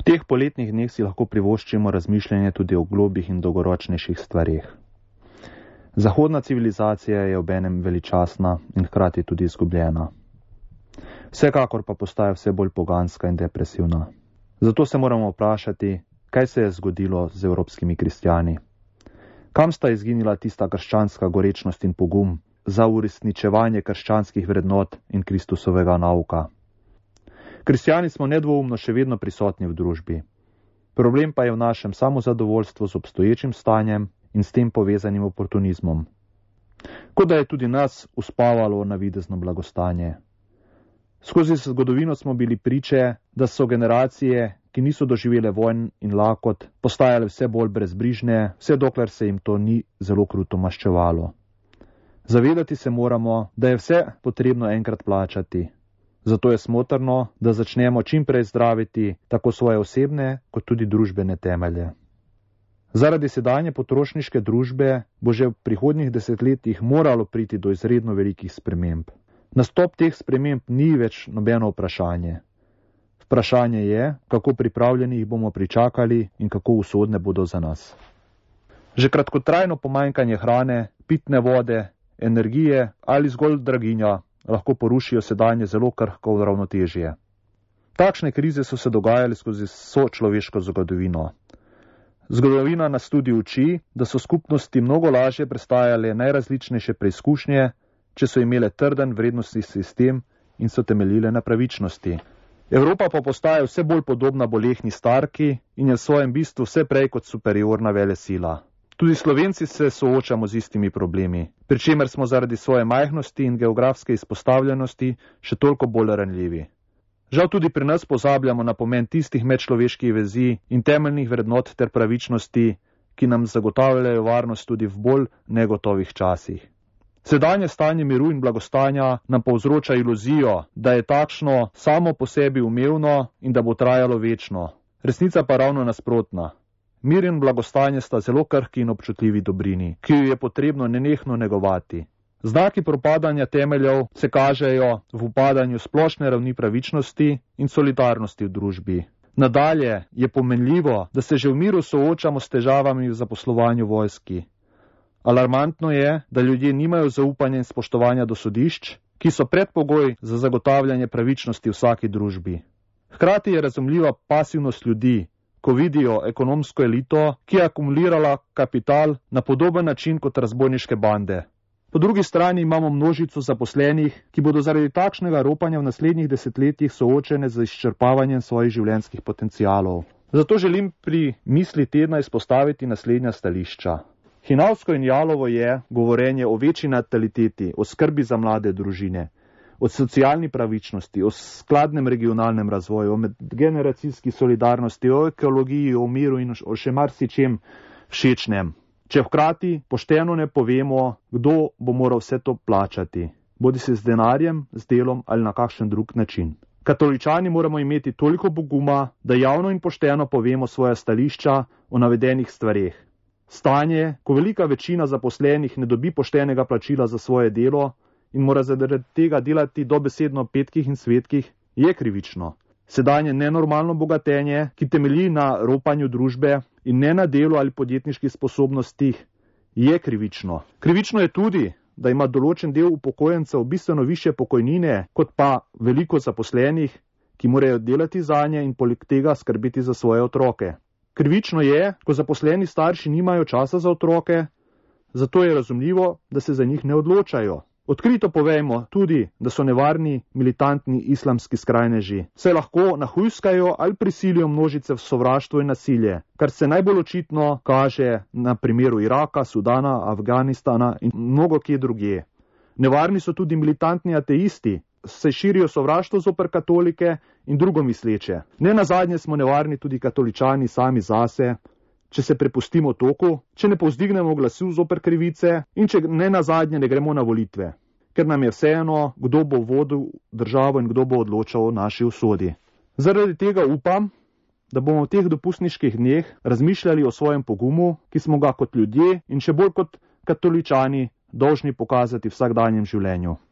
teh poletnih dneh si lahko privoščimo razmišljanje tudi o globih in dolgoročnejših stvareh. Zahodna civilizacija je obenem veličastna in hkrati tudi izgubljena. Vsekakor pa postaja vse bolj poganska in depresivna. Zato se moramo vprašati, kaj se je zgodilo z evropskimi kristjani. Kam sta izginila tista krščanska gorečnost in pogum za uresničevanje krščanskih vrednot in Kristusovega nauka? Kristjani smo nedvoumno še vedno prisotni v družbi. Problem pa je v našem samozadovoljstvu z obstoječim stanjem in s tem povezanim oportunizmom. Kot da je tudi nas uspavalo navidezno blagostanje. Skozi zgodovino smo bili priče, da so generacije, ki niso doživele vojn in lakot, postajale vse bolj brezbrižne, vse dokler se jim to ni zelo kruto maščevalo. Zavedati se moramo, da je vse potrebno enkrat plačati. Zato je smotrno, da začnemo čim prej zdraviti tako svoje osebne kot tudi družbene temelje. Zaradi sedanje potrošniške družbe bo že v prihodnjih desetletjih moralo priti do izredno velikih sprememb. Nastop teh sprememb ni več nobeno vprašanje. Vprašanje je, kako pripravljeni jih bomo pričakali in kako usodne bodo za nas. Že kratkotrajno pomanjkanje hrane, pitne vode, energije ali zgolj draginja lahko porušijo sedanje zelo krhko ravnotežje. Takšne krize so se dogajale skozi vso človeško zgodovino. Zgodovina nas tudi uči, da so skupnosti mnogo lažje prestajale najrazličnejše preizkušnje, če so imele trden vrednostni sistem in so temeljile na pravičnosti. Evropa pa postaja vse bolj podobna bolehni starki in je v svojem bistvu vse prej kot superiorna velesila. Tudi Slovenci se soočamo z istimi problemi, pri čemer smo zaradi svoje majhnosti in geografske izpostavljenosti še toliko bolj ranljivi. Žal tudi pri nas pozabljamo na pomen tistih medčloveških vezi in temeljnih vrednot ter pravičnosti, ki nam zagotavljajo varnost tudi v bolj negotovih časih. Sedanje stanje miru in blagostanja nam povzroča iluzijo, da je takšno samo po sebi umevno in da bo trajalo večno. Resnica pa ravno nasprotna. Mir in blagostanje sta zelo krhki in občutljivi dobrini, ki jo je potrebno nenehno negovati. Znaki propadanja temeljev se kažejo v upadanju splošne ravni pravičnosti in solidarnosti v družbi. Nadalje je pomenljivo, da se že v miru soočamo s težavami v zaposlovanju vojski. Alarmantno je, da ljudje nimajo zaupanja in spoštovanja do sodišč, ki so predpogoj za zagotavljanje pravičnosti v vsaki družbi. Hkrati je razumljiva pasivnost ljudi, ko vidijo ekonomsko elito, ki je akumulirala kapital na podoben način kot razbojniške bande. Po drugi strani imamo množico zaposlenih, ki bodo zaradi takšnega ropanja v naslednjih desetletjih soočene z izčrpavanjem svojih življenjskih potencialov. Zato želim pri misli tedna izpostaviti naslednja stališča. Hinavsko in jalovo je govorenje o večji nataliteti, o skrbi za mlade družine, o socialni pravičnosti, o skladnem regionalnem razvoju, o medgeneracijski solidarnosti, o ekologiji, o miru in o še marsičem všečnem. Če hkrati pošteno ne povemo, kdo bo moral vse to plačati, bodi se z denarjem, z delom ali na kakšen drug način. Katoličani moramo imeti toliko poguma, da javno in pošteno povemo svoja stališča o navedenih stvareh. Stanje, ko velika večina zaposlenih ne dobi poštenega plačila za svoje delo in mora zaradi tega delati dobesedno petkih in svetkih, je krivično. Sedanje nenormalno bogatenje, ki temelji na ropanju družbe in ne na delu ali podjetniških sposobnostih, je krivično. Krivično je tudi, da ima določen del upokojencev bistveno više pokojnine, kot pa veliko zaposlenih, ki morajo delati zanje in poleg tega skrbeti za svoje otroke. Krivično je, ko zaposleni starši nimajo časa za otroke, zato je razumljivo, da se za njih ne odločajo. Odkrito povejmo tudi, da so nevarni militantni islamski skrajneži. Se lahko nahujskajo ali prisilijo množice v sovraštvo in nasilje, kar se najbolj očitno kaže na primeru Iraka, Sudana, Afganistana in mnogo kje drugje. Nevarni so tudi militantni ateisti, se širijo sovraštvo zoper katolike in drugo misleče. Ne nazadnje smo nevarni tudi katoličani sami zase, če se prepustimo toku, če ne povzdignemo glasu zoper krivice in če ne nazadnje ne gremo na volitve, ker nam je vseeno, kdo bo vodil državo in kdo bo odločal o naši usodi. Zaradi tega upam, da bomo v teh dopustniških dneh razmišljali o svojem pogumu, ki smo ga kot ljudje in še bolj kot katoličani dolžni pokazati v vsakdanjem življenju.